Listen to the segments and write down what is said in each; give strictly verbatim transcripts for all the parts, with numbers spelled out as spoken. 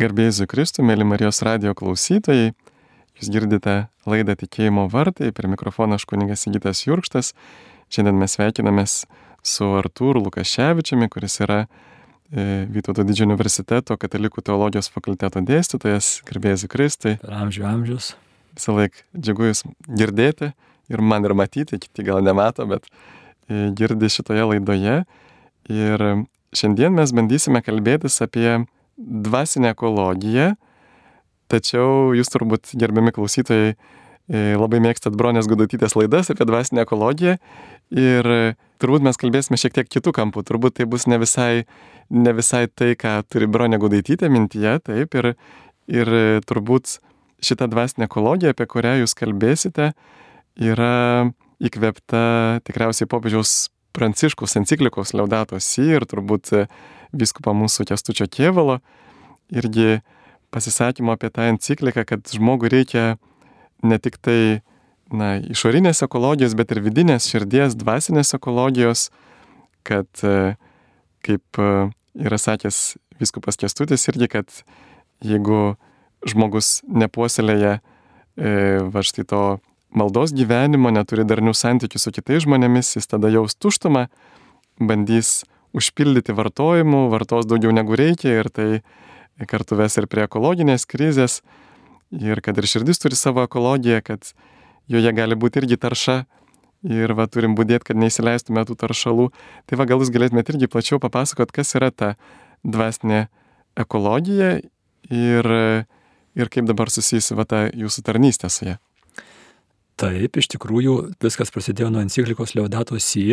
Garbė Jėzui Kristui, mėly Marijos radijo klausytojai, jūs girdite laidą Tikėjimo vartai, prie mikrofono aš kunigas Sigitas Jurkštas. Šiandien mes sveikinamės su Artūru Lukaševičiumi, kuris yra e, Vytauto Didžiojo universiteto katalikų teologijos fakulteto dėstytojas. Garbė Jėzui Kristui. Per amžių amžius. Visą laiką džiugu jūs girdėti ir man ir matyti, kiti gal nemato, bet e, girdi šitoje laidoje. Ir šiandien mes bandysime kalbėtis apie dvasinę ekologiją, tačiau jūs turbūt, gerbiami klausytojai, labai mėgstat Bronės Gudutytės laidas apie dvasinę ekologiją ir turbūt mes kalbėsime šiek tiek kitų kampų, turbūt tai bus ne visai, ne visai tai, ką turi Bronė Gudutytė mintyje, taip, ir, ir turbūt šita dvasinė ekologija, apie kurią jūs kalbėsite, yra įkvėpta tikriausiai popiežiaus Pranciškaus enciklikos Laudato Si ir turbūt vyskupo mūsų Kęstučio Kėvalo irgi pasisakymo apie tą encikliką, kad žmogui reikia ne tik tai na, išorinės ekologijos, bet ir vidinės širdies, dvasinės ekologijos, kad, kaip yra sakęs vyskupas Kęstutis irgi, kad jeigu žmogus nepuoselėja e, va štai to maldos gyvenimo, neturi darnių santykių su kitais žmonėmis, jis tada jaus tuštumą, bandys užpildyti vartojimu, vartos daugiau negu reikia ir tai kartu ves ir prie ekologinės krizės ir kad ir širdis turi savo ekologiją, kad joje gali būti irgi tarša ir va turim budėti, kad neįsileistume tų taršalų. Tai va gal jūs galėtumėte irgi plačiau papasakot, kas yra ta dvasinė ekologija ir, ir kaip dabar susijusi va ta jūsų tarnystė su ja. Taip, iš tikrųjų viskas prasidėjo nuo enciklikos Laudato Si,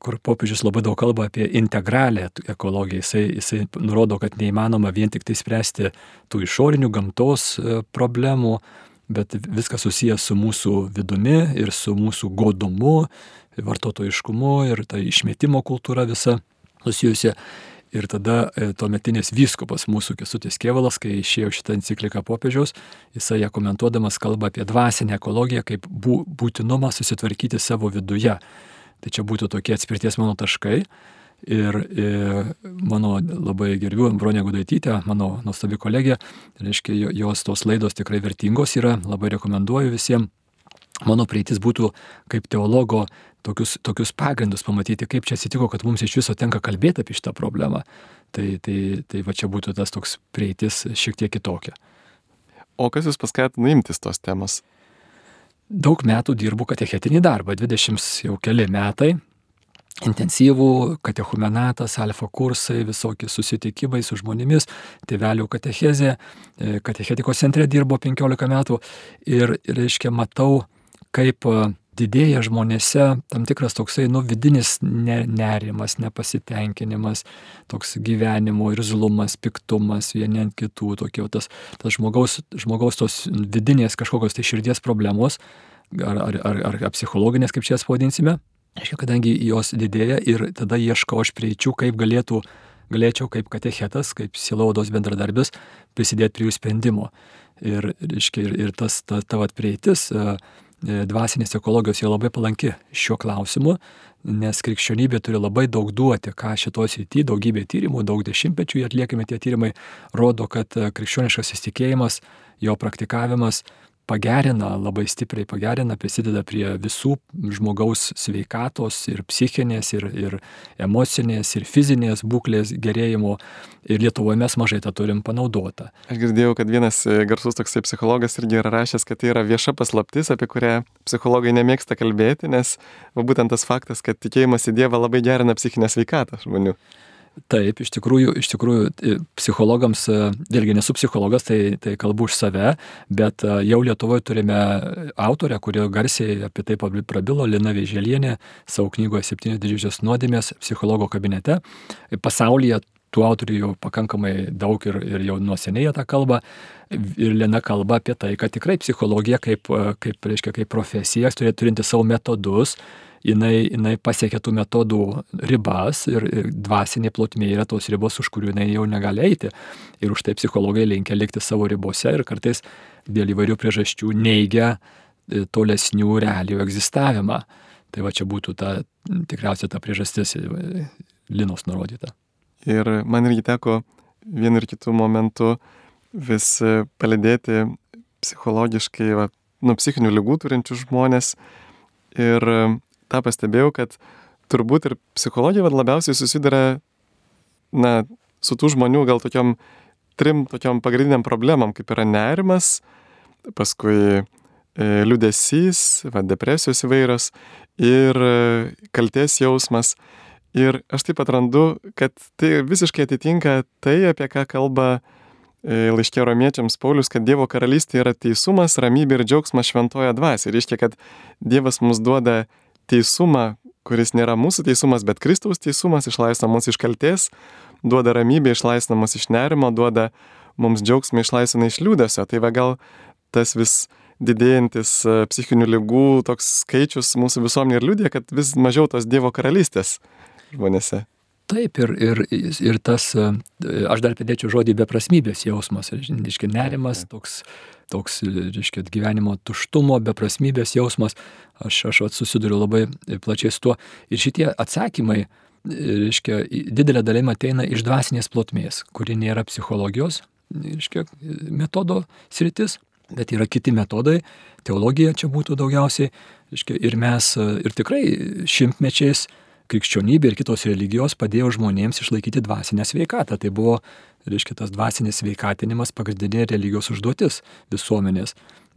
kur popiežius labai daug kalba apie integralią ekologiją. Jisai, jisai nurodo, kad neįmanoma vien tik tai spręsti tų išorinių gamtos problemų, bet viskas susijęs su mūsų vidumi ir su mūsų godumu, vartotojiškumu ir ta išmetimo kultūra visa susijusi. Ir tada tuometinis vyskupas mūsų Kęstutis Kėvalas, kai išėjo šitą encikliką popiežiaus, jisai ją komentuodamas kalba apie dvasinę ekologiją kaip būtinumą susitvarkyti savo viduje. Tai čia būtų tokie atspirties mano taškai. Ir, ir mano labai gerbiu Bronė Gudutytė, mano nuostabi kolegė, reiškia, jos tos laidos tikrai vertingos yra, labai rekomenduoju visiems. Mano prieitis būtų kaip teologo tokius, tokius pagrindus pamatyti, kaip čia atsitiko, kad mums iš viso tenka kalbėti apie šitą problemą. Tai, tai, tai va čia būtų tas toks prieitis šiek tiek kitokia. O kas jūs paskatino imtis tos temos? Daug metų dirbu katechetinį darbą, dvidešimt jau keli metai. Intensyvų katechumenatas, alfa kursai, visokie susitikimai su žmonėmis, tėvelių katechezė, katechetikos centre dirbo penkiolika metų ir, reiškia, matau, kaip didėja žmonėse tam tikras toksai, nu, vidinis nerimas, nepasitenkinimas, toks gyvenimo irzlumas, piktumas, vieni ant kitų, tokie, tas, tas žmogaus, žmogaus tos vidinės kažkokios tai širdies problemos, ar, ar, ar, ar psichologinės, kaip čia jas pavadinsime. Aiškia, kadangi jos didėja ir tada ieškau aš prieičių, kaip galėtų, galėčiau kaip katechetas, kaip sielovados bendradarbis prisidėti prie jų sprendimo. Ir, reiškia, ir, ir tas, ta, ta vat prieitis dvasinės ekologijos jau labai palanki šiuo klausimu, nes krikščionybė turi labai daug duoti, ką šitos srity, daugybė tyrimų, daug dešimtmečių atliekami tie tyrimai, rodo, kad krikščioniškas įsitikėjimas, jo praktikavimas pagerina, labai stipriai pagerina, prisideda prie visų žmogaus sveikatos ir psichinės, ir, ir emocinės, ir fizinės būklės gerėjimo. Ir Lietuvoje mes mažai tą turim panaudotą. Aš girdėjau, kad vienas garsus toksai psichologas irgi yra rašęs, kad tai yra vieša paslaptis, apie kurią psichologai nemėgsta kalbėti, nes va, būtent tas faktas, kad tikėjimas į Dievą labai gerina psichinę sveikatą žmonių. Taip, iš tikrųjų, iš tikrųjų psichologams, vėlgi nesu psichologas, tai, tai kalbu už save, bet jau Lietuvoje turime autorę, kuri garsiai apie tai prabilo, Lina Vėželienė, savo knygoje Septynios didžiosios nuodėmės psichologo kabinete. Pasaulyje tų autorių jau pakankamai daug ir, ir jau nuo seniai tą kalbą. Ir Lina kalba apie tai, kad tikrai psichologija kaip, kaip, reiškia, kaip profesija, turinti savo metodus, jinai, jinai pasiekia tų metodų ribas ir, ir dvasinė plotmė yra tos ribos, už kurių jinai jau negali eiti. Ir už tai psichologai linkia likti savo ribose ir kartais dėl įvairių priežasčių neigia tolesnių realijų egzistavimą. Tai va čia būtų ta, tikriausiai ta priežastis Linos nurodyta. Ir man irgi teko vienu ir kitu momentu vis palydėti psichologiškai, va, nu, psichinių ligų turinčių žmonės. Ir tą pastebėjau, kad turbūt ir psichologija va, labiausiai susiduria, na, su tų žmonių gal tokiom trim tokiom pagrindiniam problemam, kaip yra nerimas, paskui e, liūdesys, va, depresijos įvairios ir e, kaltės jausmas. Ir aš taip atrandu, kad tai visiškai atitinka tai, apie ką kalba e, laiške romiečiams Paulius, kad Dievo karalystė yra teisumas, ramybė ir džiaugsmas šventoje dvasioje. Reiškia, kad Dievas mums duoda teisumą, kuris nėra mūsų teisumas, bet Kristaus teisumas, išlaisvina mus iš kaltės, duoda ramybę, išlaisvina mus iš nerimo, duoda mums džiaugsmą, išlaisvina iš liūdesio. Tai va gal tas vis didėjantis psichinių ligų toks skaičius mūsų visuomenė ir liudija, kad vis mažiau tos Dievo karalystės žmonėse. Taip, ir, ir, ir tas, aš dar pridėčiau žodį beprasmybės jausmas, reiškia nerimas, toks, toks reiškia, gyvenimo tuštumo, beprasmybės jausmas, aš, aš susiduriu labai plačiai su tuo. Ir šitie atsakymai, reiškia, didelė dalim ateina iš dvasinės plotmės, kuri nėra psichologijos, reiškia, metodo sritis, bet yra kiti metodai, teologija čia būtų daugiausiai, reiškia, ir mes, ir tikrai šimtmečiais krikščionybė ir kitos religijos padėjo žmonėms išlaikyti dvasinę sveikatą. Tai buvo, reiškia, tas dvasinis sveikatinimas pagrindinė religijos užduotis visuomenės.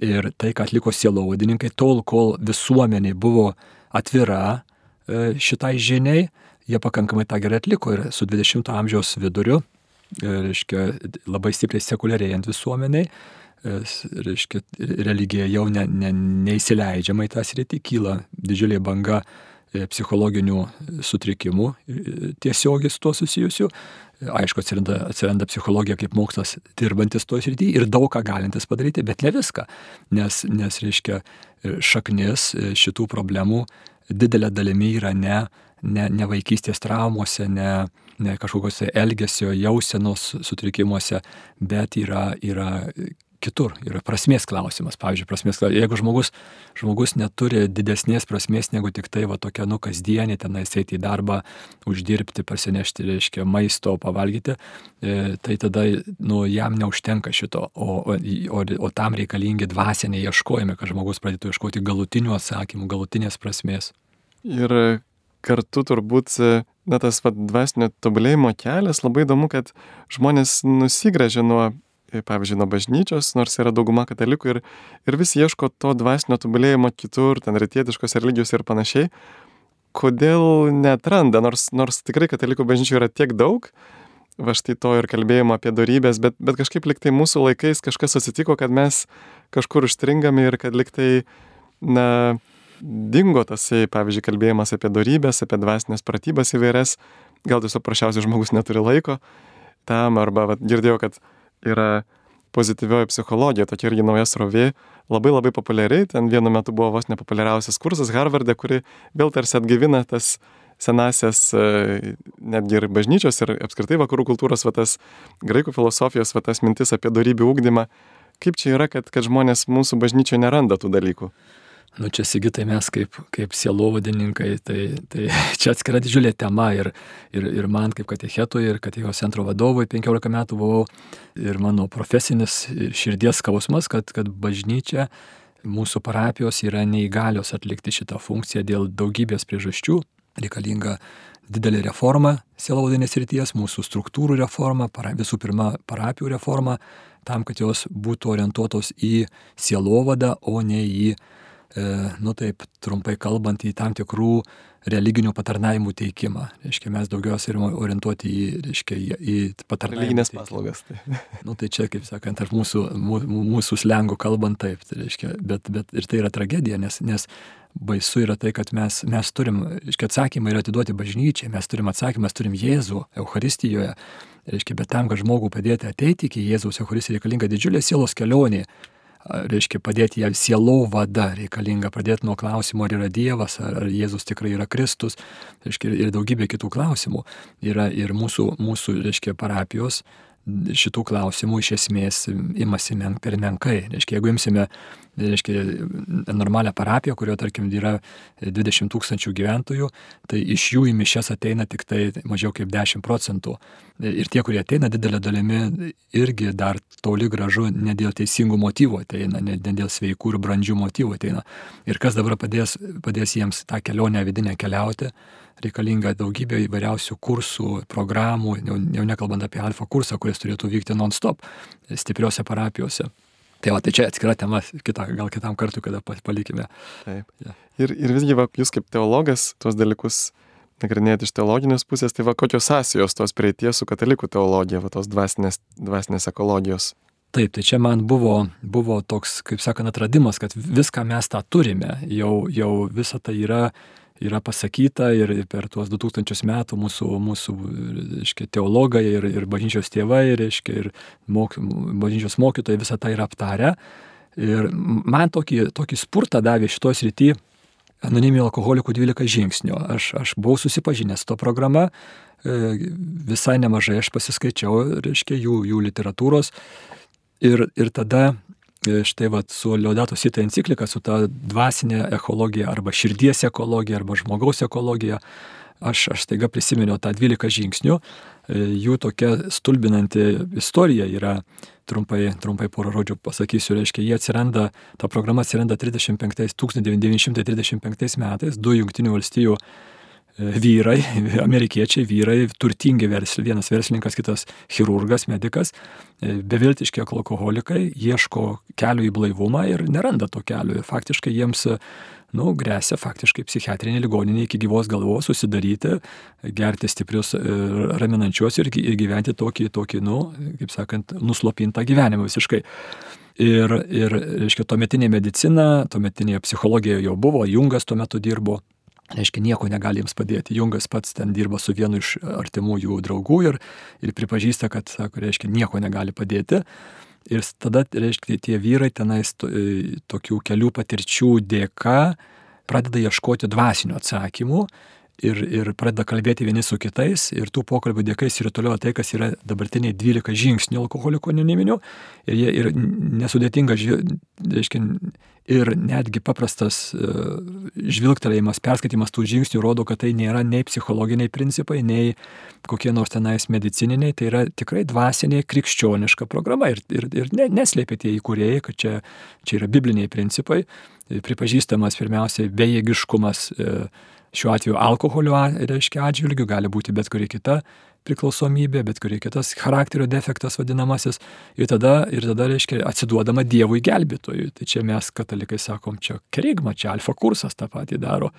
Ir tai, ką atliko sielovadininkai, tol, kol visuomenė buvo atvira šitai žiniai, jie pakankamai tą gerai atliko. Ir su dvidešimto amžiaus viduriu, reiškia, labai stipriai sekuliarėjant visuomeniai, reiškia, religija jau ne, ne, neįsileidžiama į tą sritį, kyla didžiulė banga psichologinių sutrikimų tiesiogiai su tuo susijusių. Aišku, atsiranda, atsiranda psichologija kaip mokslas dirbantis to srityje ir daug ką galintis padaryti, bet ne viską. Nes, nes reiškia, šaknis šitų problemų didelė dalimi yra ne, ne, ne vaikystės traumose, ne, ne kažkokiuose elgesio, jausenos sutrikimuose, bet yra, yra kitur, yra prasmės klausimas. Pavyzdžiui, prasmės klausimas. Jeigu žmogus, žmogus neturi didesnės prasmės negu tik tai va tokia, nu, kasdienė, tenais eiti į darbą, uždirbti, parsinešti, reiškia, maisto, pavalgyti, e, tai tada, nu, jam neužtenka šito, o, o, o, o tam reikalingi dvasiniai ieškojimai, kad žmogus pradėtų ieškoti galutinių atsakymų, galutinės prasmės. Ir kartu turbūt, na, tas va, dvasinio tobulėjimo kelias, labai įdomu, kad žmonės nusigręžia nuo, pavyzdžiui, nuo bažnyčios, nors yra dauguma katalikų ir, ir vis ieško to dvasinio tobulėjimo kitur, ten rytietiškos religijos ir panašiai. Kodėl neatranda, nors, nors tikrai katalikų bažnyčių yra tiek daug, va štai to ir kalbėjimo apie dorybės, bet, bet kažkaip liktai mūsų laikais kažkas atsitiko, kad mes kažkur užstringame ir kad liktai, na, dingo tasai, pavyzdžiui, kalbėjimas apie dorybės, apie dvasinės pratybas įvairias, gal tiesiog prašiausiai žmogus neturi laiko tam, arba va, girdėjau, kad yra pozityvioji psichologija, tokia irgi nauja srovė, labai labai populiari, ten vienu metu buvo vos nepopuliariausias kursas Harvarde, kuri vėl tarsi atgaivina tas senasias, netgi ir bažnyčios ir apskritai vakarų kultūros, va tas graikų filosofijos, va tas mintis apie dorybių ugdymą. Kaip čia yra, kad, kad žmonės mūsų bažnyčioje neranda tų dalykų? Nu čia, Sigitai, mes kaip, kaip sielovadininkai, tai, tai čia atskira didžiulė tema ir, ir, ir man kaip katechetui ir katechezės centro vadovui penkiolika metų buvau ir mano profesinis ir širdies skausmas, kad, kad bažnyčia, mūsų parapijos yra neįgalios atlikti šitą funkciją dėl daugybės priežasčių. Reikalinga didelė reforma sielovadinės srities, mūsų struktūrų reforma, para, visų pirma parapijų reforma, tam, kad jos būtų orientuotos į sielovadą, o ne į nu taip, trumpai kalbant, į tam tikrų religinių patarnavimų teikimą. Reiškia, mes daugiausiai yra orientuoti į, reiškia, į, į patarnavimų religinės paslaugas. Tai. Nu tai čia, kaip sakant, tarp mūsų, mūsų slengų kalbant taip, tai reiškia, bet, bet ir tai yra tragedija, nes, nes baisu yra tai, kad mes, mes turim, reiškia, atsakymą yra atiduoti bažnyčiai, mes turim atsakymą, mes turim Jėzų Eucharistijoje, reiškia, bet tam, kad žmogų padėti ateiti iki Jėzaus Eucharistijoje, reikalinga didžiulė sielos kelionė. Reiškia, padėti ją sielovada, reikalinga pradėti nuo klausimo, ar yra Dievas, ar, ar Jėzus tikrai yra Kristus, reiškia, ir daugybė kitų klausimų. Yra ir mūsų, mūsų reiškia, parapijos šitų klausimų iš esmės imasi men, per menkai. Reiškia, jeigu imsime reiškia, normalią parapiją, kurioje, tarkim, yra dvidešimt tūkstančių gyventojų, tai iš jų į mišias ateina tik tai mažiau kaip dešimt procentų. Ir tie, kurie ateina didelė dalimi, irgi dar toli gražu ne dėl teisingų motyvų ateina, ne dėl sveikų ir brandžių motyvų ateina. Ir kas dabar padės, padės jiems tą kelionę vidinę keliauti, reikalinga daugybė įvairiausių kursų, programų, jau, jau nekalbant apie alfa kursą, kuris turėtų vykti non-stop stipriose parapijose. Tai va, tai čia atskira tema, kita, gal kitam kartu, kada palikime. Taip. Ja. Ir, ir visgi, va, jūs kaip teologas tuos dalykus nagrinėjate iš teologinės pusės, tai va, kokios sąsajos tos prieities su katalikų teologija, va, tos dvasinės, dvasinės ekologijos? Taip, tai čia man buvo, buvo toks, kaip sakant, atradimas, kad viską mes tą turime, jau, jau visa tai yra, yra pasakyta ir per tuos du tūkstančius metų mūsų, mūsų reiškia, teologai ir, ir bažnyčios tėvai, reiškia, ir mok, bažnyčios mokytojai visą tai yra aptarę. Ir man tokį, tokį spurtą davė šitos srity Anoniminių alkoholikų dvylika žingsnių. Aš, aš buvau susipažinęs su to programa, visai nemažai aš pasiskaičiau, reiškia, jų, jų literatūros. Ir, ir tada štai vat, su Laudato Si enciklika, su ta dvasinė ekologija arba širdies ekologija arba žmogaus ekologija, aš, aš staiga prisiminiau tą dvylika žingsnių. Jų tokia stulbinanti istorija yra, trumpai, trumpai porą žodžių pasakysiu, reiškia, jie atsiranda, ta programa atsiranda tūkstantis devyni šimtai trisdešimt penktais metais, du Jungtinių valstijų vyrai, amerikiečiai vyrai, turtingi verslininkai, vienas verslininkas, kitas chirurgas, medikas, beviltiški alkoholikai, ieško kelio į blaivumą ir neranda to kelio. Faktiškai jiems, nu, grėsia faktiškai psichiatrinė ligoninė iki gyvos galvos susidaryti, gerti stiprius raminančios ir gyventi tokį, tokį, nu, kaip sakant, nuslopintą gyvenimą visiškai. Ir, ir reiškia, tuometinė medicina, tuometinė psichologija jau buvo, Jungas tuo metu dirbo. Reiškia, nieko negali jiems padėti. Jungas pats ten dirba su vienu iš artimųjų draugų ir, ir pripažįsta, kad, sako, reiškia, nieko negali padėti. Ir tada, reiškia, tie vyrai tenais to, tokių kelių patirčių dėka pradeda ieškoti dvasinių atsakymų ir, ir pradeda kalbėti vieni su kitais. Ir tų pokalbių dėka įsirutuliojo tai, kas yra dabartiniai dvylika žingsnių alkoholikų anoniminių. Ir jie ir nesudėtinga, reiškia, ir netgi paprastas uh, žvilgtelėjimas, perskaitimas tų žingsnių rodo, kad tai nėra nei psichologiniai principai, nei kokie nors tenais medicininiai, tai yra tikrai dvasinė krikščioniška programa. Ir, ir, ir ne, neslėpė tie įkūrėjai, kad čia, čia yra bibliniai principai, pripažįstamas pirmiausiai bejėgiškumas, šiuo atveju alkoholio, reiškia, atžvilgių, gali būti bet kuri kita priklausomybė, bet kuri kitas charakterio defektas vadinamasis, ir tada, ir tada reiškia, atsiduodama Dievui gelbėtojui. Tai čia mes katalikai sakom, čia kerigma, čia alfa kursas tą patį daro.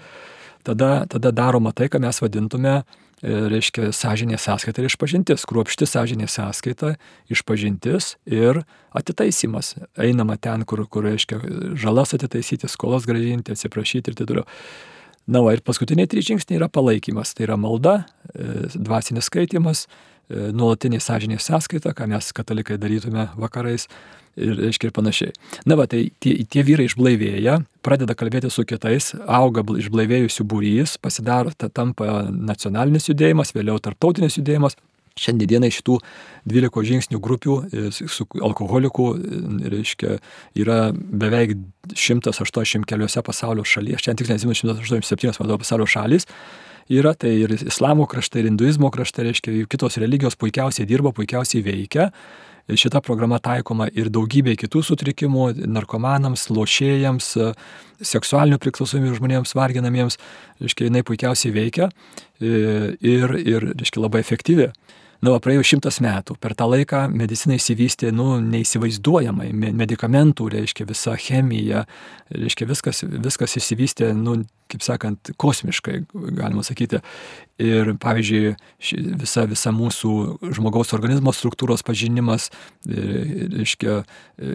Tada, tada daroma tai, ką mes vadintume, reiškia, sąžinės sąskaita ir išpažintis, kruopšti sąžinės sąskaita, išpažintis ir atitaisimas. Einama ten, kur, kur reiškia, žalas atitaisyti, skolas grąžinti, atsiprašyti ir taip toliau. Na, va, ir paskutiniai trys žingsniai yra palaikymas. Tai yra malda, dvasinis skaitimas, nuolatinė sąžinės sąskaita, ką mes katalikai darytume vakarais ir, reiškia, ir panašiai. Na, va, tai tie, tie vyrai išblaivėja, pradeda kalbėti su kitais, auga išblaivėjusių būrys, pasidaro, tampa nacionalinis judėjimas, vėliau tarptautinis judėjimas. Šiandieną šitų dvylikos žingsnių grupių su alkoholikų, reiškia, yra beveik šimtas aštuoniasdešimt keliose pasaulio šalyse, šiandien tik nežinau, šimtas aštuoniasdešimt septynios pasaulio šalys yra, tai ir islamo kraštai, ir hinduizmo kraštai, reiškia, kitos religijos puikiausiai dirba, puikiausiai veikia. Šita programa taikoma ir daugybė kitų sutrikimų, narkomanams, lošėjams, seksualinių priklausomybių žmonėms varginamiems, reiškia, jinai puikiausiai veikia ir, ir reiškia, labai efektyvi. Na, va, praėjo šimtas metų. Per tą laiką medicina įsivystė, nu, neįsivaizduojamai. Medikamentų, reiškia, visa chemija, reiškia, viskas, viskas įsivystė, nu, kaip sakant, kosmiškai, galima sakyti. Ir, pavyzdžiui, visa, visa mūsų žmogaus organizmo struktūros pažinimas, reiškia,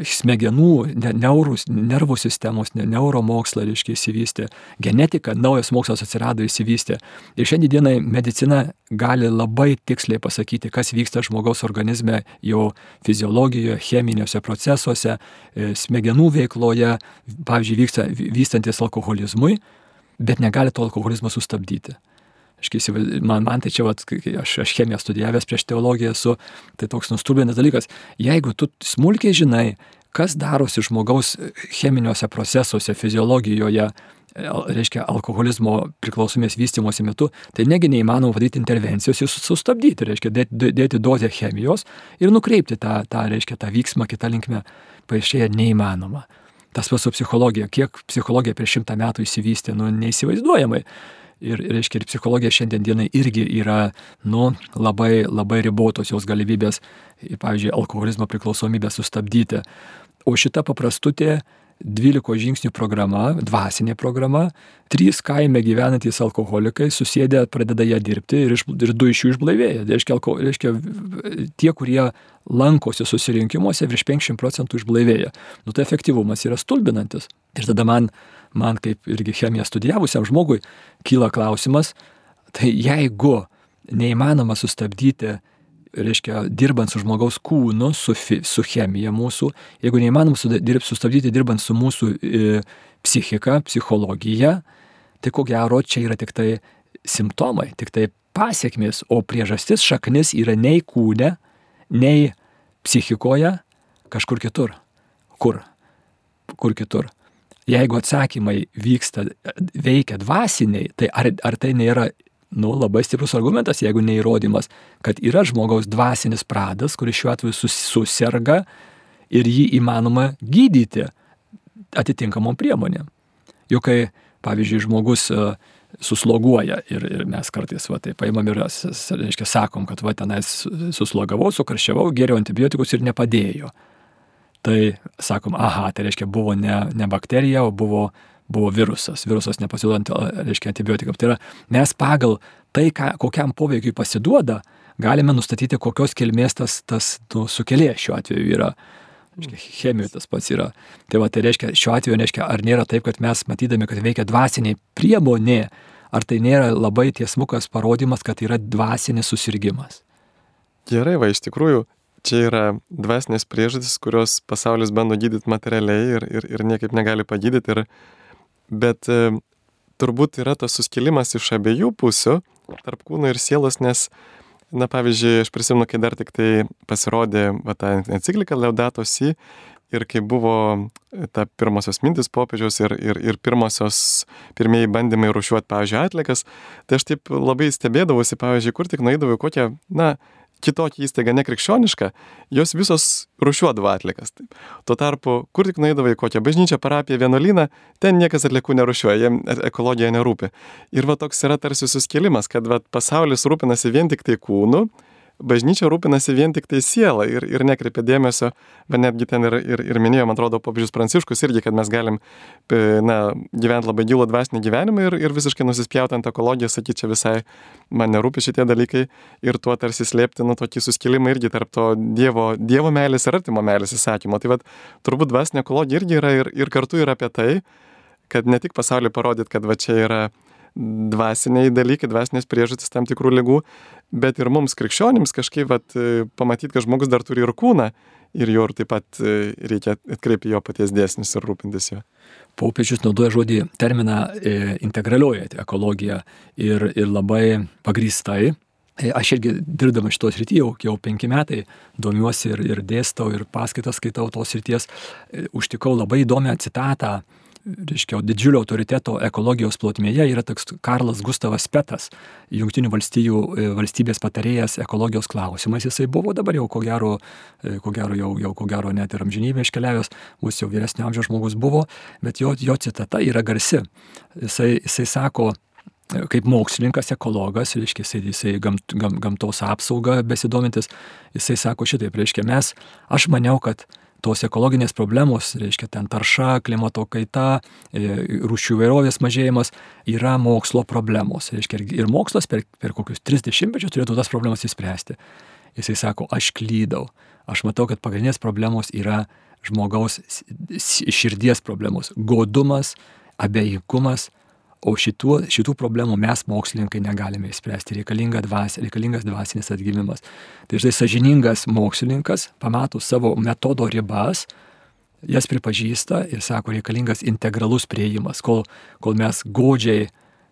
smegenų, neurus, nervų sistemos, neuromokslą, reiškia, įsivystė. Genetika, naujas mokslas atsirado, įsivystė. Ir šiandienai medicina gali labai tiksliai pasakyti, kas vyksta žmogaus organizme, jo fiziologijoje, cheminiuose procesuose, smegenų veikloje, pavyzdžiui, vyksta vystantis alkoholizmui, bet negali to alkoholizmo sustabdyti. Man, man tai čia, vat, aš, aš chemiją studijavęs prieš teologiją esu, tai toks nustulbinęs dalykas. Jeigu tu smulkiai žinai, kas darosi žmogaus cheminiuose procesuose, fiziologijoje, reiškia alkoholizmo priklausomės vystymosi metu, tai negi neįmanoma padaryti intervencijos ir sustabdyti, reiškia dėti, dėti dozę chemijos ir nukreipti tą, tą, reiškia, tą vyksmą kitą linkmę, paaiškėja neįmanoma. Tas pats su psichologija, kiek psichologija prieš šimtą metų įsivystė, nu, neįsivaizduojamai. Ir, reiškia, ir psichologija šiandien dienai irgi yra, nu, labai, labai ribotos jos galimybės, pavyzdžiui, alkoholizmo priklausomybę sustabdyti. O šita paprastutė dvylikos žingsnių programa, dvasinė programa, trys kaime gyvenantys alkoholikai susėdę pradeda ją dirbti ir, iš, ir du iš jų išblaivėja. Reiškia, alko, reiškia, tie, kurie lankosi susirinkimuose, virš penkiasdešimt procentų išblaivėja. Nu, tai efektyvumas yra stulbinantis. Ir tada man, man kaip irgi chemiją studijavusiam žmogui, kyla klausimas, tai jeigu neįmanoma sustabdyti, reiškia, dirbant su žmogaus kūnu, su, su chemija mūsų, jeigu neįmanom sustabdyti dirbant su mūsų e, psichika, psichologija, tai ko gero čia yra tik tai simptomai, tik tai pasiekmės, o priežastis šaknis yra nei kūne, nei psichikoje, kažkur kitur. Kur? Kur kitur? Jeigu atsakymai vyksta, veikia dvasiniai, tai ar, ar tai nėra nu, labai stiprus argumentas, jeigu neįrodymas, kad yra žmogaus dvasinis pradas, kuris šiuo atveju sus, suserga ir jį įmanoma gydyti atitinkamom priemonėm. Juk kai, pavyzdžiui, žmogus uh, susloguoja ir, ir mes kartais va, tai paimam ir, reiškia, sakom, kad va, tenais suslogavau, sukarščiavau, geriau antibiotikus ir nepadėjo. Tai sakom, aha, tai reiškia, buvo ne, ne bakterija, o buvo buvo virusas, virusas nepasiduodant, reiškia, antibiotikams. Tai yra, mes pagal tai, ką, kokiam poveikiui pasiduoda, galime nustatyti, kokios kilmės tas, tas nu, sukėlėjas šiuo atveju yra. Reiškia, chemijų tas pats yra. Tai va, tai reiškia, šiuo atveju, reiškia, ar nėra taip, kad mes matydami, kad veikia dvasiniai priemonė, ar tai nėra labai tiesmukas parodymas, kad yra dvasinis susirgimas. Gerai, va, iš tikrųjų, čia yra dvasinės priežastys, kurios pasaulis bando gydyti materialiai ir, ir, ir niekaip negali pagydyti. Ir Bet e, turbūt yra tas suskilimas iš abiejų pusių, tarp kūno ir sielos, nes, na, pavyzdžiui, aš prisimenu, kai dar tik tai pasirodė va, ta enciklika Laudato Si ir kai buvo ta pirmosios mintis popiežiaus ir, ir, ir pirmosios, pirmieji bandymai rūšiuoti, pavyzdžiui, atlikas, tai aš taip labai stebėdavausi, pavyzdžiui, kur tik nueidavau kokią, na, kitokia įstaiga nekrikščioniška, jos visos rūšiuodavo atlikas. Taip. Tuo tarpu, kur tik nueidavai kokią bažnyčią, parapiją, vienuolyną, ten niekas atliekų nerūšiuoja, jiem ekologija nerūpi. Ir va toks yra tarsi suskilimas, kad va, pasaulis rūpinasi vien tik tai kūnu, bažnyčia rūpinasi vien tik tai sielą ir, ir nekreipia dėmesio, bet netgi ten ir, ir, ir minėjo, man atrodo, popiežius Pranciškus irgi, kad mes galim na, gyventi labai gilų dvasinį gyvenimą ir, ir visiškai nusispjauti ant ekologijos, sakyti, čia visai man nerūpi šitie dalykai ir tuo tarsi slėpti nu, tokį suskilimą irgi tarp to dievo, dievo meilės ir artimo meilės įsakymo. Tai vat, turbūt dvasinė ekologija irgi yra ir, ir kartu yra apie tai, kad ne tik pasauliui parodyti, kad va čia yra dvasiniai dalykai, dvasinės priežastys tam tikrų ligų, bet ir mums krikščionims kažkaip vat, pamatyti, kad žmogus dar turi ir kūną ir jo ir taip pat reikia atkreipti jo paties dėsnius ir rūpintis jo. Popiežius naudoja žodį terminą e, integralioji ekologija ir, ir labai pagrįstai. Aš irgi dirbdama šitos srityje jau, jau penki metai domiuosi ir, ir dėstau ir paskaitas skaitau tos srities. Užtikau labai įdomią citatą, reiškia, didžiulio autoriteto ekologijos plotmėje yra toks Karlas Gustavas Petas, Jungtinių valstijų valstybės patarėjas ekologijos klausimais. Jisai buvo dabar jau ko gero, ko gero jau, jau ko gero net ir amžinybę iškeliavęs, bus jau vyresnio amžiaus žmogus buvo, bet jo, jo citata yra garsi. Jisai, jisai sako, kaip mokslininkas, ekologas, reiškia, jisai, jisai gamt, gam, gamtos apsaugą besidomintis, jisai sako šitaip, reiškia, mes, aš maniau, kad tos ekologinės problemos, reiškia, ten tarša, klimato kaita, rūšių įvairovės mažėjimas yra mokslo problemos. Reiškia, ir mokslas per, per kokius tris dešimtmečius turėtų tas problemas įspręsti. Jisai sako, aš klydau. Aš matau, kad pagrindinės problemos yra žmogaus širdies problemos. Godumas, abejingumas, o šitų, šitų problemų mes mokslininkai negalime įspręsti. Reikalinga dvasia, reikalingas dvasinis atgimimas. Tai štai sąžiningas mokslininkas pamato savo metodo ribas, jas pripažįsta ir sako, reikalingas integralus priėjimas, kol, kol mes godžiai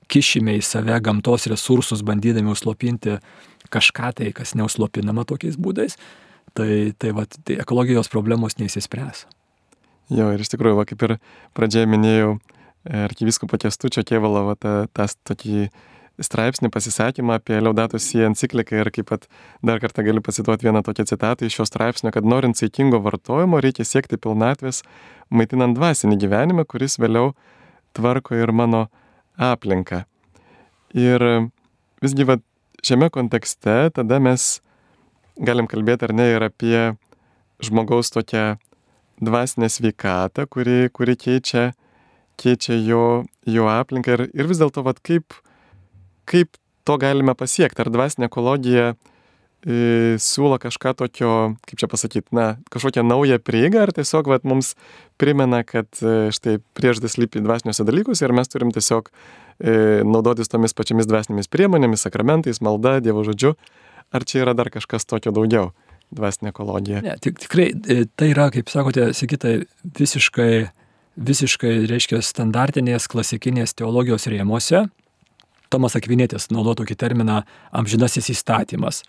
kišime į save gamtos resursus, bandydami užslopinti kažką tai, kas neužslopinama tokiais būdais, tai, tai, va, tai ekologijos problemos neįsispręs. Jo, ir iš tikrųjų, va, kaip ir pradžioje minėjau, arkivyskupo Kęstučio Kėvalo va, ta, tas tokį straipsnį pasisakymą apie Laudato Si encikliką ir kaip pat dar kartą galiu pacituoti vieną tokią citatą iš šio straipsnio, kad norint saikingo vartojimo reikia siekti pilnatvės, maitinant dvasinį gyvenimą, kuris vėliau tvarko ir mano aplinką. Ir visgi va, šiame kontekste tada mes galim kalbėti ar ne ir apie žmogaus tokią dvasinę sveikatą, kuri, kuri keičia, keičia jo, jo aplinką ir, ir vis dėlto vat, kaip, kaip to galime pasiekti. Ar dvasinė ekologija e, siūlo kažką tokio, kaip čia pasakyti, na, kažkokią naują prieigą, ar tiesiog vat, mums primena, kad e, štai priežastis slypi dvasiniuose dalykuose ir mes turim tiesiog e, naudotis tomis pačiamis dvasinėmis priemonėmis, sakramentais, malda, Dievo žodžiu. Ar čia yra dar kažkas tokio daugiau, dvasinė ekologija? Ne, tik, tikrai tai yra, kaip sakote, Sigitai, visiškai, visiškai, reiškia, standartinės klasikinės teologijos rėmuose. Tomas Akvinietis naudoja tokį terminą amžinasis įstatymas.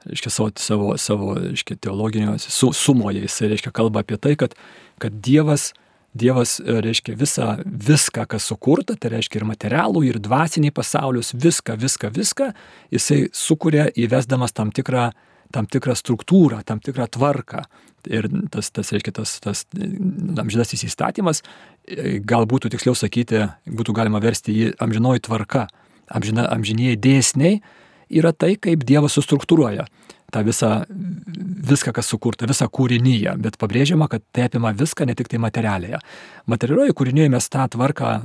Reiškia, savo, savo, savo reiškia, teologinio su, sumoje jis, reiškia, kalba apie tai, kad, kad Dievas, Dievas, reiškia, visa, viską, kas sukurta, tai reiškia ir materialų, ir dvasiniai pasaulius, viską, viską, viską, jisai sukuria įvesdamas tam tikrą, tam tikrą struktūrą, tam tikrą tvarką. Ir tas, tas reiškia, tas, tas amžinasis įstatymas, gal būtų tiksliau sakyti, būtų galima versti jį amžinoji tvarka, amžina, amžinieji dėsniai, yra tai, kaip Dievas sustruktūruoja tą visą, viską, kas sukurta, visą kūrinyje, bet pabrėžiama, kad tai apima viską, ne tik tai materialėje. Materialioje kūrinyje mes tą tvarką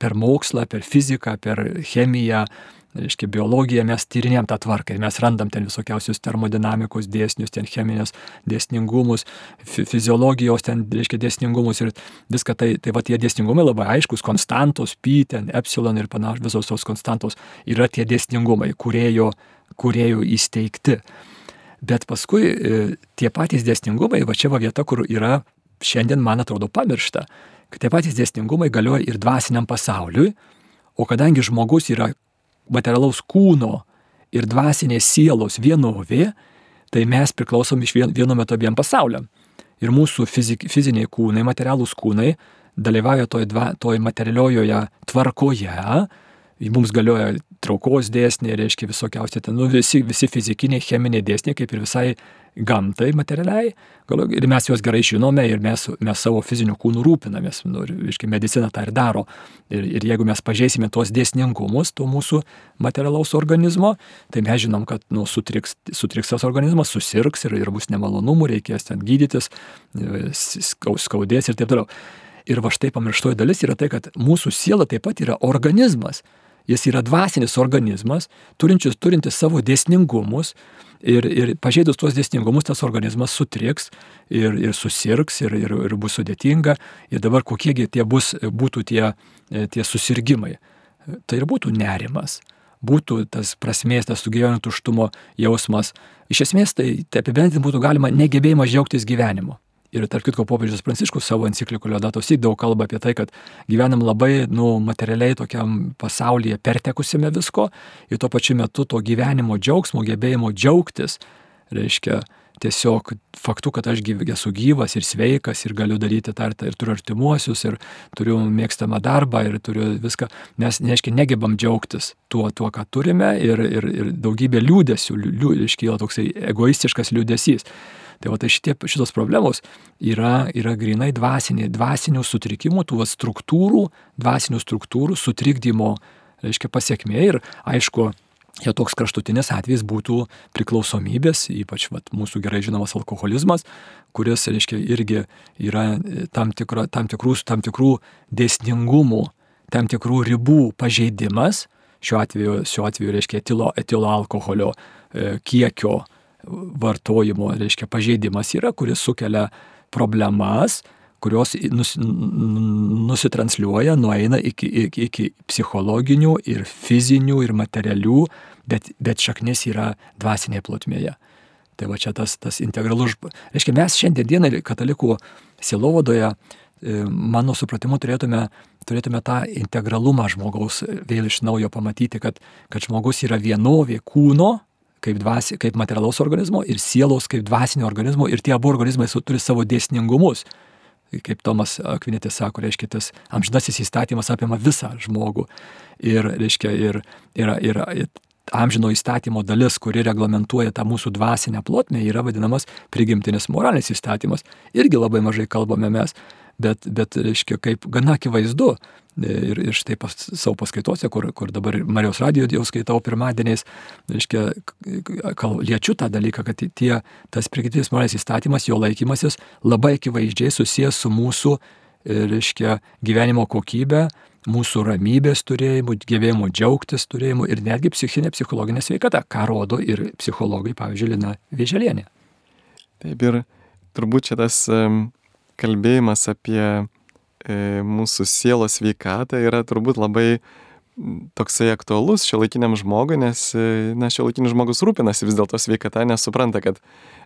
per mokslą, per fiziką, per chemiją, reiškia, biologiją mes tyrinėjom tą tvarką ir mes randam ten visokiausius termodinamikos dėsnius, ten cheminės dėsningumus, fiziologijos ten, reiškia, dėsningumus ir viską tai, tai va tie dėsningumai labai aiškus, konstantos, pi, ten, epsilon ir panašiai, visos tos konstantos yra tie dėsningumai, kurėjo, kurėjo įsteigti. Bet paskui tie patys dėsningumai, va čia va vieta, kur yra šiandien, man atrodo, pamiršta, kad tie patys dėsningumai galioja ir dvasiniam pasauliui, o kadangi žmogus yra materialaus kūno ir dvasinės sielos vienovė, tai mes priklausom iš vien, vienu metu abiem pasauliam. Ir mūsų fizik, fiziniai kūnai, materialūs kūnai dalyvauja toj, dva, toj materialiojoje tvarkoje, mums galioja traukos dėsniai, reiškia visokiausi ten, nu, visi, visi fizikiniai, cheminiai dėsniai, kaip ir visai gamtai materialiai, ir mes juos gerai žinome ir mes, mes savo fizinių kūnų rūpinamės, nu, reiškia, medicina tą ir daro. Ir, ir jeigu mes pažeisime tuos dėsningumus, to mūsų materialaus organizmo, tai mes žinom, kad nu, sutriks, sutriks tas organizmas, susirgs ir, ir bus nemalonumų, reikės ten gydytis, skaudės ir taip toliau. Ir va štai pamirštoji dalis yra tai, kad mūsų siela taip pat yra organizmas. Jis yra dvasinis organizmas, turintis, turintis savo dėsningumus ir, ir pažeidus tuos dėsningumus tas organizmas sutriks ir, ir susirgs ir, ir, ir bus sudėtinga. Ir dabar kokiegi tie bus, būtų tie, tie susirgimai. Tai ir būtų nerimas, būtų tas prasmės, tas sugyvenimo tuštumo jausmas. Iš esmės tai, tai apibendrinti būtų galima negebėjimas džiaugtis gyvenimu. Ir tarp kitko popiežius Pranciškus savo enciklikoje Laudato Si daug kalba apie tai, kad gyvenam labai nu, materialiai tokiam pasaulyje pertekusime visko ir tuo pačiu metu to gyvenimo džiaugsmo, gebėjimo džiaugtis, reiškia tiesiog faktu, kad aš gyv, esu gyvas ir sveikas ir galiu daryti tą ir turiu artimuosius ir turiu mėgstamą darbą ir turiu viską. Mes, reiškia, negebam džiaugtis tuo, tuo ką turime ir, ir, ir daugybė liūdesių, liū, iškyla toksai egoistiškas liūdesys. Tai va, tai šitie, šitos problemos yra, yra grinai dvasiniai, dvasinių sutrikimų, tų va, struktūrų, dvasinių struktūrų sutrikdymo, reiškia, pasiekmė ir aišku, jo toks kraštutinis atvejis būtų priklausomybės, ypač va, mūsų gerai žinomas alkoholizmas, kuris, reiškia, irgi yra tam, tikra, tam, tikrų, tam tikrų dėsningumų, tam tikrų ribų pažeidimas, šiuo atveju, šiuo atveju reiškia, etilo, etilo alkoholio e, kiekio vartojimo, reiškia, pažeidimas yra, kuris sukelia problemas, kurios nus, nusitransliuoja, nueina iki, iki, iki psichologinių ir fizinių ir materialių, bet, bet šaknis yra dvasinėje plotmėje. Tai va čia tas, tas integralus, reiškia, mes šiandien dienai katalikų sielovadoje mano supratimu turėtume, turėtume tą integralumą žmogaus vėl iš naujo pamatyti, kad, kad žmogus yra vienovė kūno, kaip, dvasi, kaip materialaus organizmo ir sielos kaip dvasinio organizmo ir tie abu organizmai turi savo dėsningumus. Kaip Tomas Akvinėtis sako, reiškia, tas amžinasis įstatymas apima visą žmogų. Ir, reiškia, ir, ir, ir, ir amžino įstatymo dalis, kuri reglamentuoja tą mūsų dvasinę plotmę, yra vadinamas prigimtinis moralinis įstatymas. Irgi labai mažai kalbame mes, bet, bet reiškia, kaip gana akivaizdu. Ir, ir štai pas, savo paskaitose, kur, kur dabar Marijos radijo jau skaitau pirmadieniais, reiškia, kal, liečiu tą dalyką, kad tie, tas prigimtinis moralinis įstatymas, jo laikymasis labai akivaizdžiai susijęs su mūsų, reiškia, gyvenimo kokybė, mūsų ramybės turėjimu, gebėjimu džiaugtis turėjimu ir netgi psichinė, psichologinė sveikata, ką rodo ir psichologai, pavyzdžiui, Lina Vėželienė. Taip, ir turbūt čia tas um, kalbėjimas apie mūsų sielos sveikatą yra turbūt labai toksai aktualus šiuolaikiniam žmogui, nes na, šiuolaikinis žmogus rūpinasi vis dėlto sveikata, nes supranta, kad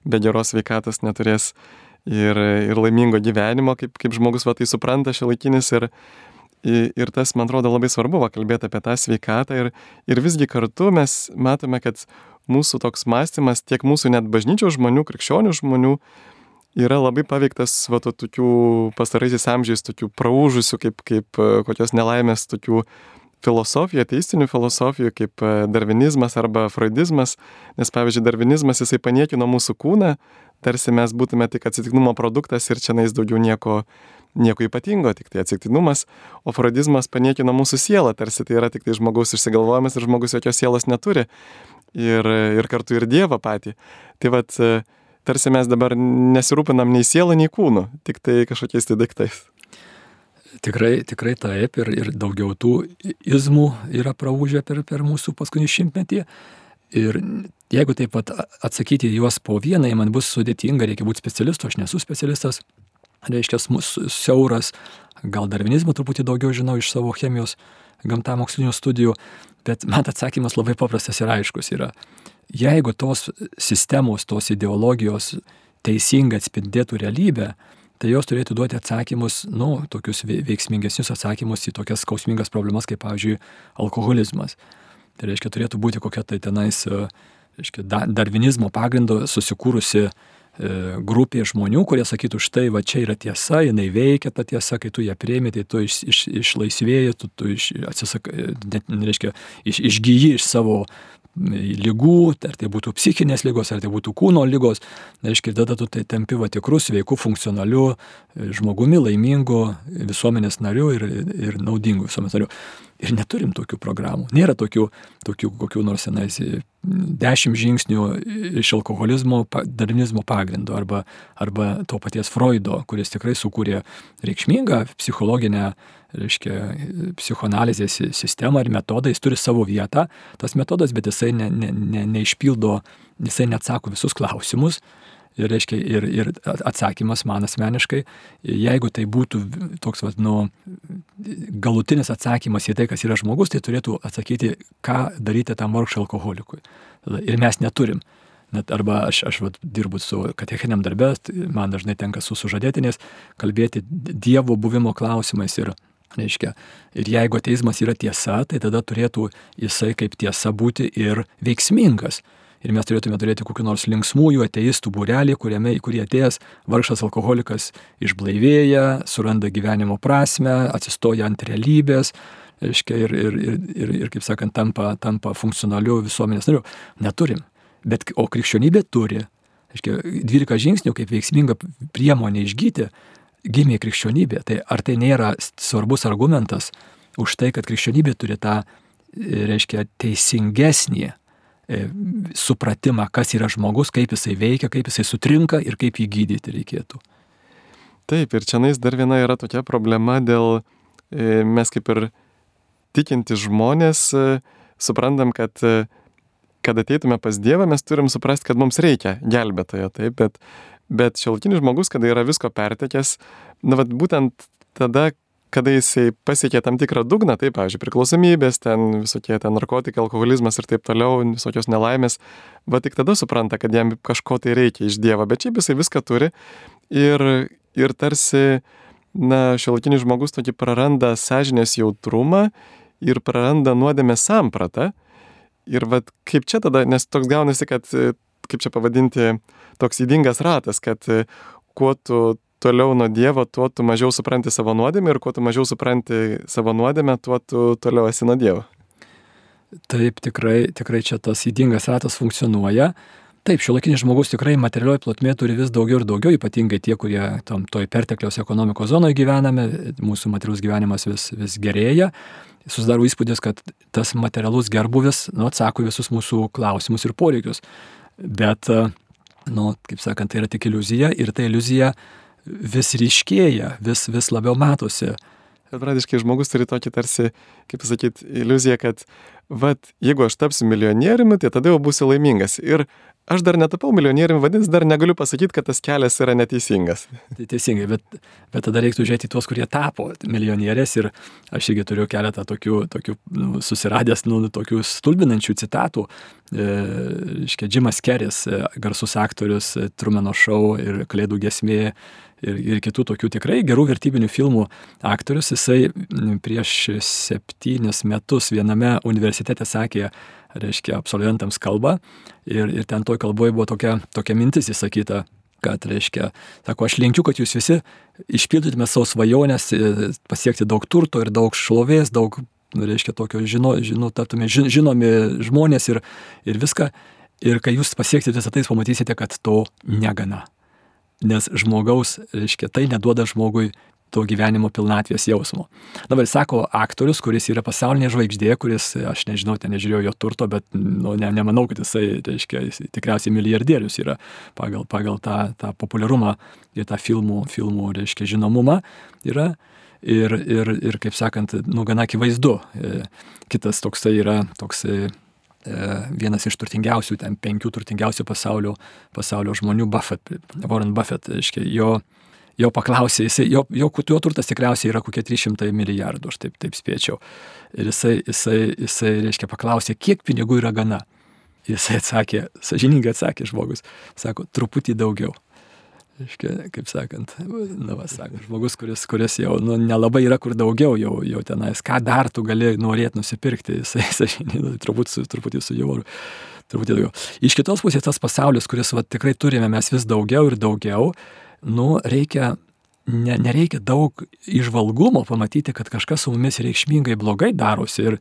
be geros sveikatos neturės ir, ir laimingo gyvenimo, kaip, kaip žmogus va tai supranta šiuolaikinis ir, ir tas, man atrodo, labai svarbu va, kalbėti apie tą sveikatą ir, ir visgi kartu mes matome, kad mūsų toks mąstymas, tiek mūsų net bažnyčios žmonių, krikščionių žmonių, yra labai paveiktas va, to, tokių pastaraisiais amžiais, tokių praūžusių, kaip, kaip kokios nelaimės, tokių filosofijų, ateistinių filosofijų, kaip darvinizmas arba freudizmas, nes pavyzdžiui, darvinizmas jisai paniekino mūsų kūną, tarsi mes būtume tik atsitiktinumo produktas ir čia nais daugiau nieko, nieko ypatingo, tik tai atsitiktinumas, o freudizmas paniekino mūsų sielą, tarsi tai yra tik tai žmogaus išsigalvojimas ir žmogus jokios sielos neturi ir, ir kartu ir Dievą patį. Tai vat, tarsi mes dabar nesirūpinam nei sielą, nei kūnu, tik tai kažkokiais tai daiktais. Tikrai, tikrai taip ir, ir daugiau tų izmų yra praūžę per, per mūsų paskutinį šimtmetį. Ir jeigu taip pat atsakyti juos po vienai, man bus sudėtinga, reikia būti specialistu, aš nesu specialistas, reiškia mūsų siauras, gal darvinizmą truputį daugiau žinau iš savo chemijos gamtamokslinių studijų, bet man atsakymas labai paprastas ir aiškus yra. Jeigu tos sistemos, tos ideologijos teisingai atspindėtų realybę, tai jos turėtų duoti atsakymus, nu, tokius veiksmingesnius atsakymus į tokias skausmingas problemas, kaip, pavyzdžiui, alkoholizmas. Tai reiškia, turėtų būti kokia tai tenais, reiškia, darvinizmo pagrindo susikūrusi grupė žmonių, kurie sakytų, štai, va čia yra tiesa, jinai veikia ta tiesa, kai tu ją priimi, tai tu iš, iš, išlaisvėjai, tu, tu iš, atsisakai, net, reiškia, iš, išgyji iš savo lygų, ar tai būtų psichinės lygos, ar tai būtų kūno lygos, reiškia, tada tu tai tampi va tikrų, sveikų, funkcionalių žmogumi, laimingu visuomenės nariu ir, ir naudingu visuomenės nariu. Ir neturim tokių programų. Nėra tokių, tokių kokių nors senais dešimt žingsnių iš alkoholizmo, darvinizmo pagrindo arba, arba to paties Freudo, kuris tikrai sukūrė reikšmingą psichologinę, reiškia, psichoanalizės sistemą ir metodą. Jis turi savo vietą, tas metodas, bet jisai ne, ne, ne, neišpildo, jisai neatsako visus klausimus. Ir, reiškia, ir, ir atsakymas man asmeniškai, jeigu tai būtų toks, vat, nu, galutinis atsakymas į tai, kas yra žmogus, tai turėtų atsakyti, ką daryti tam vargšui alkoholikui. Ir mes neturim. Net arba aš, aš vat, dirbu su katechiniam darbe, man dažnai tenka su sužadėtiniais kalbėti Dievo buvimo klausimais. Ir, reiškia, ir jeigu ateizmas yra tiesa, tai tada turėtų jisai kaip tiesa būti ir veiksmingas. Ir mes turėtume turėti kokių nors linksmųjų ateistų būrelį, kuriame, į kurį atėjęs vargšas alkoholikas išblaivėja, suranda gyvenimo prasmę, atsistoja ant realybės, reiškia, ir, ir, ir, ir, ir kaip sakant, tampa, tampa funkcionaliu visuomenės nariu. Neturim. Bet, o krikščionybė turi. Reiškia, dvylika žingsnių kaip veiksminga priemonė išgyti, gimė krikščionybė. Tai ar tai nėra svarbus argumentas už tai, kad krikščionybė turi tą, reiškia, teisingesnį supratimą, kas yra žmogus, kaip jisai veikia, kaip jisai sutrinka ir kaip jį gydyti reikėtų. Taip, ir čianais dar viena yra tokia problema dėl, mes kaip ir tikinti žmonės, suprantam, kad kad ateitume pas Dievą, mes turim suprasti, kad mums reikia gelbėtojo, taip, bet, bet šiuolaikinis žmogus, kada yra visko pertekęs, na, vat, būtent tada, kada jisai pasiekė tam tikrą dugną, taip, pavyzdžiui, priklausomybės, ten visokie ten narkotikai, alkoholizmas ir taip toliau, visokios nelaimės, va tik tada supranta, kad jam kažko tai reikia iš Dievo, bet šiaip jisai viską turi ir, ir tarsi na, šiuolaikinis žmogus tokį praranda sąžinės jautrumą ir praranda nuodėmės sampratą. Ir vat kaip čia tada, nes toks gaunasi, kad, kaip čia pavadinti, toks ydingas ratas, kad kuo tu toliau nuo Dievo, tuo tu mažiau supranti savo nuodėmę ir kuo tu mažiau supranti savo nuodėmę, tuo tu toliau esi nuo Dievo. Taip, tikrai, tikrai čia tas ydingas ratas funkcionuoja. Taip, šiuolaikinis žmogus tikrai materialioje plotmėje turi vis daugiau ir daugiau, ypatingai tie, kurie tam toj pertekliaus ekonomikos zonoje gyvename, mūsų materialus gyvenimas vis, vis gerėja. Susidaro įspūdis, kad tas materialus gerbuvis, nu, atsako visus mūsų klausimus ir poreikius. Bet, nu, kaip sakant, tai yra tik iliuzija ir ta iliuzija vis ryškėja, vis, vis labiau matosi. Bet pradiškai žmogus turi tokį tarsi, kaip pasakyti, iliuziją, kad vat, jeigu aš tapsiu milijonieriumi, tai tada jau būsiu laimingas. Ir aš dar netapau milijonieriumi, vadins, dar negaliu pasakyti, kad tas kelias yra neteisingas. Tai teisingai, bet, bet tada reiktų žiūrėti tuos, kurie tapo milijonieriais. Ir aš irgi turiu keletą tokių, tokių nu, susiradęs, nu, tokių stulbinančių citatų. E, iškia, Jimas Keris, garsus aktorius, Trumano šou ir Kalėdų giesmė. Ir, ir kitų tokių tikrai gerų vertybinių filmų aktorius, jisai prieš septynis metus viename universitete sakė, reiškia, absolventams kalbą ir, ir ten toj kalboje buvo tokia, tokia mintis įsakyta, kad, reiškia, sako, aš linkiu, kad jūs visi išpildytume savo svajonės, pasiekti daug turto ir daug šlovės, daug, reiškia, tokio žino, žino, taptume žinomi žmonės ir, ir viską. Ir kai jūs pasieksite visą tai, pamatysite, kad to negana. Nes žmogaus, reiškia, tai neduoda žmogui to gyvenimo pilnatvės jausmo. Dabar sako aktorius, kuris yra pasaulinė žvaigždė, kuris, aš nežinau, ten nežiūrėjau jo turto, bet nu, ne, nemanau, kad jisai, reiškia, jis tikriausiai milijardierius yra pagal, pagal tą, tą populiarumą ir tą filmų, filmų, reiškia, žinomumą yra. Ir, ir, ir kaip sakant, nu, gana akivaizdu. Kitas toksai yra toksai vienas iš turtingiausių, ten penkių turtingiausių pasaulio, pasaulio žmonių, Buffett, Warren Buffett, reiškia, jo, jo paklausė, jisai, jo, jo, jo turtas tikriausiai yra kokie trys šimtai milijardų, aš taip, taip spėčiau. Ir jisai, jisai, jisai, reiškia, paklausė, kiek pinigų yra gana. Jisai atsakė, sąžiningai atsakė žmogus, sako, truputį daugiau. Reiškia, kaip sakant, na, va, sako, žmogus, kuris, kuris jau nu, nelabai yra kur daugiau, jau, jau tenais, ką dar tu gali norėti nusipirkti, jisai, sąžiningai, truputį, truputį su jau, truputį daugiau. Iš kitos pusės tas pasaulis, kuris va, tikrai turime mes vis daugiau ir daugiau, nu, reikia, ne, nereikia daug įžvalgumo pamatyti, kad kažkas su mumis reikšmingai blogai darosi. Ir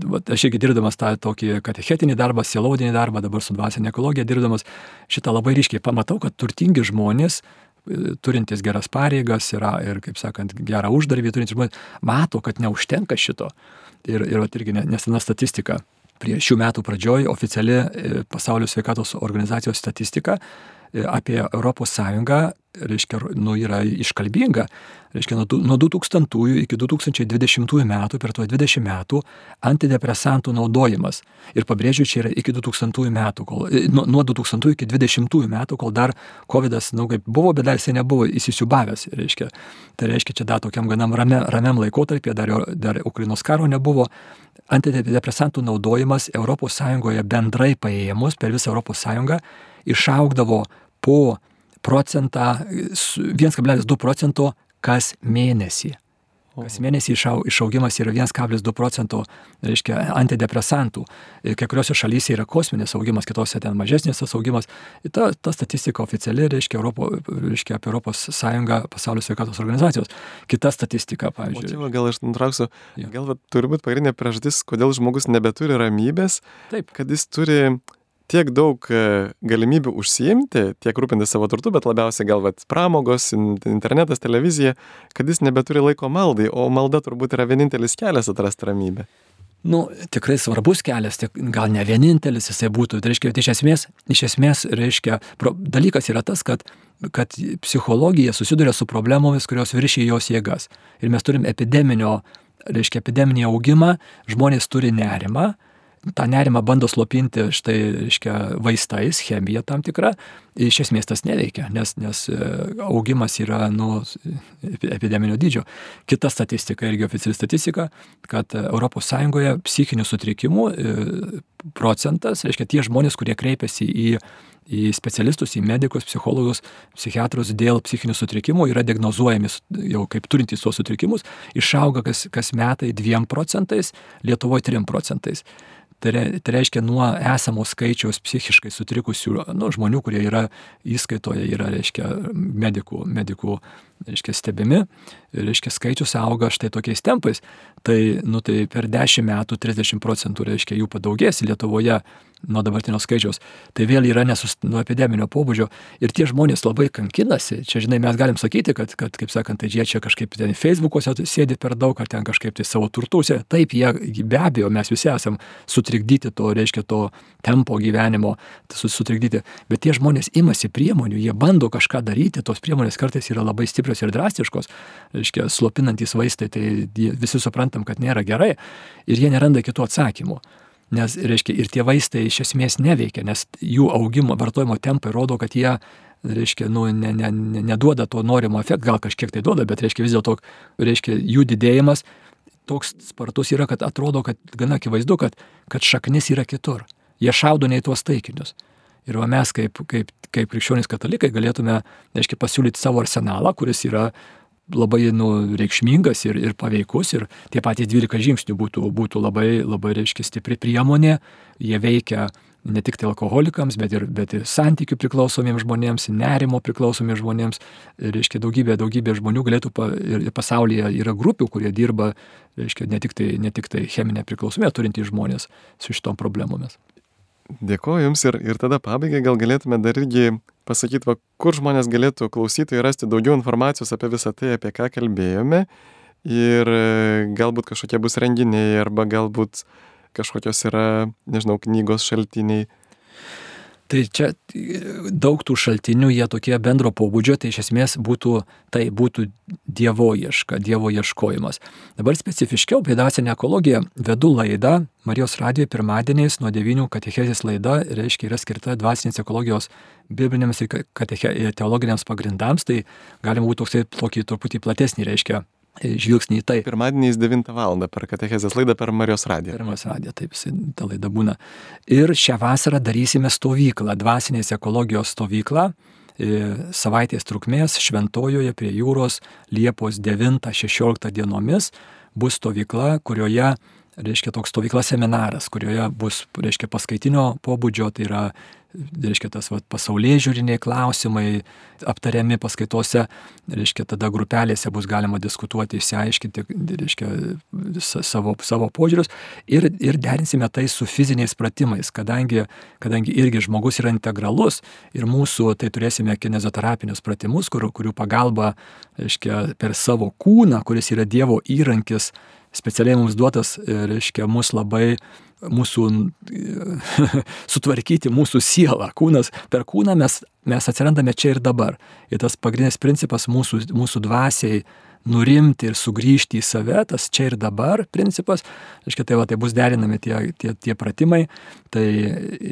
va, aš irgi dirbdamas tą tokį katechetinį darbą, sielovadinį darbą, dabar su dvasinė ekologija dirbdamas, šitą labai ryškiai pamatau, kad turtingi žmonės, turintys geras pareigas yra, ir, kaip sakant, gerą uždarbį turintys žmonės, mato, kad neužtenka šito. Ir, ir va, irgi nesena statistika. Prie šių metų pradžioj oficiali Pasaulio sveikatos organizacijos statistika apie Europos Sąjungą, reiškia, nu, yra iškalbinga. Reiškia, nuo du tūkstantųjų iki du tūkstančiai dvidešimtųjų metų, per tuos dvidešimt metų, antidepresantų naudojimas. Ir pabrėžiu, čia yra iki du tūkstantųjų metų, kol, nuo, nuo du tūkstantųjų iki dvidešimtųjų metų, kol dar kovidas, nu, kaip buvo, bet dar jisai nebuvo įsisiubavęs. Reiškia, tai reiškia, čia dar tokiam ganam ramiam, ramiam laikotarpyje, dar, dar Ukrainos karo nebuvo. Antidepresantų naudojimas Europos Sąjungoje bendrai paėmus per visą Europos Sąjungą išaugdavo po procentą, vienas kablelis du procento kas mėnesį. Kas mėnesį išau, išaugimas yra vienas kablelis du procento, reiškia, antidepresantų. Kai kuriuose šalyse yra kosminis augimas, kitose ten mažesnis tas augimas. Ta, ta statistika oficiali, reiškia, Europo, reiškia, apie Europos Sąjungą, Pasaulio sveikatos organizacijos. Kita statistika, pavyzdžiui. O čia, gal aš nutrauksiu, ja. Gal va, turi būti pagrindinė priežastis, kodėl žmogus nebeturi ramybės, taip, kad jis turi tiek daug galimybių užsiimti, tiek rūpinti savo turtu, bet labiausiai gal vat, pramogos, internetas, televizija, kad jis nebeturi laiko maldai, o malda turbūt yra vienintelis kelias atrasti ramybę. Nu, tikrai svarbus kelias, tik, gal ne vienintelis jisai būtų. Tai reiškia, iš esmės, iš esmės, reiškia, pro, dalykas yra tas, kad, kad psichologija susiduria su problemomis, kurios viršyja jos jėgas. Ir mes turim epideminio, reiškia, epideminį augimą, žmonės turi nerimą, tą nerimą bando slopinti štai, reiškia, vaistais, chemija tam tikra, iš esmės tas neveikia, nes, nes augimas yra nu, epideminio dydžio. Kita statistika, irgi oficiali statistika, kad Europos Sąjungoje psichinių sutrikimų procentas, reiškia, tie žmonės, kurie kreipiasi į į specialistus, į medikus, psichologus, psichiatrus dėl psichinių sutrikimų, yra diagnozuojami jau kaip turintys tuos sutrikimus, išauga kas, kas metai dviem procentais, Lietuvoje trim procentais. Tai, re, tai reiškia, nuo esamo skaičiaus psichiškai sutrikusių nu, žmonių, kurie yra įskaitoje, yra, reiškia, medikų, medikų reiškia, stebimi, reiškia, skaičius auga štai tokiais tempais. Tai, nu, tai per dešimt metų trisdešimt procentų, reiškia, jų padaugės Lietuvoje nuo dabartinio skaičiaus. Tai vėl yra nesus, nuo epideminio pobūdžio. Ir tie žmonės labai kankinasi. Čia, žinai, mes galim sakyti, kad, kad kaip sakant, tai jie čia kažkaip ten Facebook'ose sėdi per daug, ar ten kažkaip tai savo turtuose. Taip, jie be abejo, mes visi esam sutrikdyti to, reiškia, to tempo gyvenimo, sutrikdyti. Bet tie žmonės imasi priemonių, jie bando kažką daryti, tos priemonės kartais yra labai stiprios ir drastiškos, reiškia, slopinantys vaistai, tai visi suprantam, kad nėra gerai ir jie neranda kitų atsakymų. Nes, reiškia, ir tie vaistai iš esmės neveikia, nes jų augimo, vartojimo tempai rodo, kad jie, reiškia, nu, ne, ne, ne, neduoda to norimo efekto, gal kažkiek tai duoda, bet, reiškia, vis dėlto, reiškia, jų didėjimas toks spartus yra, kad atrodo, kad gana akivaizdu, kad, kad šaknis yra kitur. Jie šaudo ne į tuos taikinius. Ir va mes, kaip, kaip, kaip krikščionys katalikai, galėtume, reiškia, pasiūlyti savo arsenalą, kuris yra labai nu, reikšmingas ir, ir paveikus, ir tie patys dvylika žingsnių būtų, būtų labai, labai, reiškia, stipri priemonė. Jie veikia ne tik tai alkoholikams, bet ir, bet ir santykių priklausomiems žmonėms, nerimo priklausomiems žmonėms. Reiškia, daugybė, daugybė žmonių galėtų, pa, ir pasaulyje yra grupių, kurie dirba, reiškia, ne tik tai, ne tik tai cheminę priklausomybę turintys žmonės su šitom problemomis. Dėkuoju Jums ir, ir tada pabaigai gal galėtume dar irgi pasakyti, va, kur žmonės galėtų klausyti ir rasti daugiau informacijos apie visą tai, apie ką kalbėjome, ir galbūt kažkokie bus renginiai arba galbūt kažkokios yra, nežinau, knygos šaltiniai. Tai čia daug tų šaltinių, jie tokie bendro pobūdžio, tai iš esmės būtų, tai būtų dievo ieška, dievo ieškojimas. Dabar specifiškiau apie dvasinę ekologiją vedu laidą Marijos radijoje pirmadieniais nuo devynių, katechezės laida, reiškia, yra skirta dvasinės ekologijos bibliniams ir kateche, teologiniams pagrindams, tai galima būtų toksai tokį truputį platesnį, reiškia, žvilgsnį į tai. Pirmadieniais devintą valandą per katechezės laidą per Marijos radiją. Per Marijos radiją, taip, ta laida būna. Ir šią vasarą darysime stovyklą, dvasinės ekologijos stovyklą, savaitės trukmės Šventojoje prie jūros Liepos devintą šešioliktą dienomis bus stovykla, kurioje, reiškia, toks stovykla seminaras, kurioje bus, reiškia, paskaitinio pobūdžio, tai yra, reiškia, tas va, pasaulėžiūriniai klausimai aptariami paskaitose, reiškia, tada grupelėse bus galima diskutuoti, išsiaiškinti, reiškia, savo, savo požiūrius ir, ir derinsime tai su fiziniais pratimais, kadangi, kadangi irgi žmogus yra integralus ir mūsų, tai turėsime kinezioterapinius pratimus, kur, kurių pagalba, reiškia, per savo kūną, kuris yra Dievo įrankis, specialiai mums duotas, reiškia, mus labai, mūsų, sutvarkyti mūsų sielą. Kūnas, per kūną mes, mes atsirandame čia ir dabar. Ir tas pagrindinis principas mūsų, mūsų dvasiai nurimti ir sugrįžti į save, tas čia ir dabar principas. Reiškia, tai, va, tai bus derinami tie, tie, tie pratimai. Tai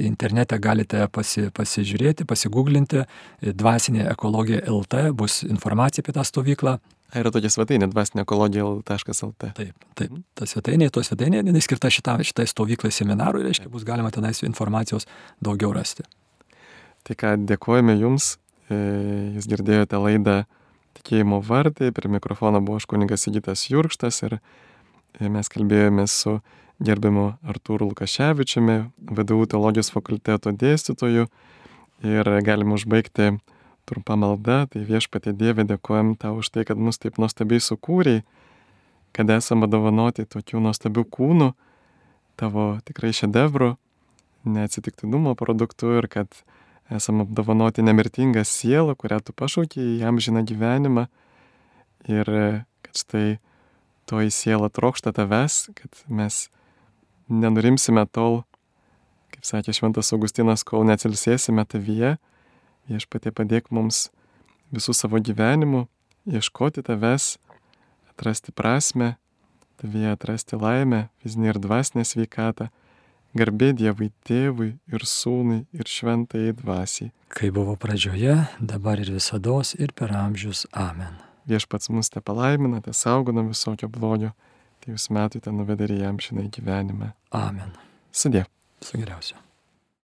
internete galite pasi, pasižiūrėti, pasiguglinti. Dvasinė ekologija L T bus informacija apie tą stovyklą. Yra tokia svetainė dvasinė ekologija taškas L T. Taip, taip. Ta svetainė, to svetainė, jinai skirta šitą, šitai stovyklai seminarui, reiškia, bus galima tenais informacijos daugiau rasti. Tai ką, dėkojame Jums. Jūs girdėjote laidą Tikėjimo vartai. Prie mikrofono buvo aš kunigas Sigitas Jurkštas ir mes kalbėjome su gerbiamu Artūru Lukaševičiumi, V D U teologijos fakulteto dėstytoju, ir galim užbaigti trumpa malda. Tai Viešpatie Dieve, dėkojam Tau už tai, kad mus taip nuostabiai sukūrei, kad esame dovanoti tokių nuostabių kūnų, Tavo tikrai šedevrų, neatsitiktinumo produktų, ir kad esame apdovanoti nemirtingą sielą, kurią Tu pašaukei į amžiną gyvenimą, ir kad štai toji siela trokšta Tavęs, kad mes nenurimsime tol, kaip sakė Šventas Augustinas, kol neatsilsėsime Tavyje. Viešpatie, padėk mums visų savo gyvenimu ieškoti Tavęs, atrasti prasmę, Tavyje atrasti laimę, fizinę ir dvasinę sveikatą, Garbė Dievui Tėvui ir Sūnui ir Šventajai Dvasiai. Kai buvo pradžioje, dabar ir visados ir per amžius. Amen. Viešpats mus te palaimina, te saugo nuo visokio blogio, tai jūs metų te nuvedė į amžiną gyvenimą. Amen. Sudie. Su geriausiu.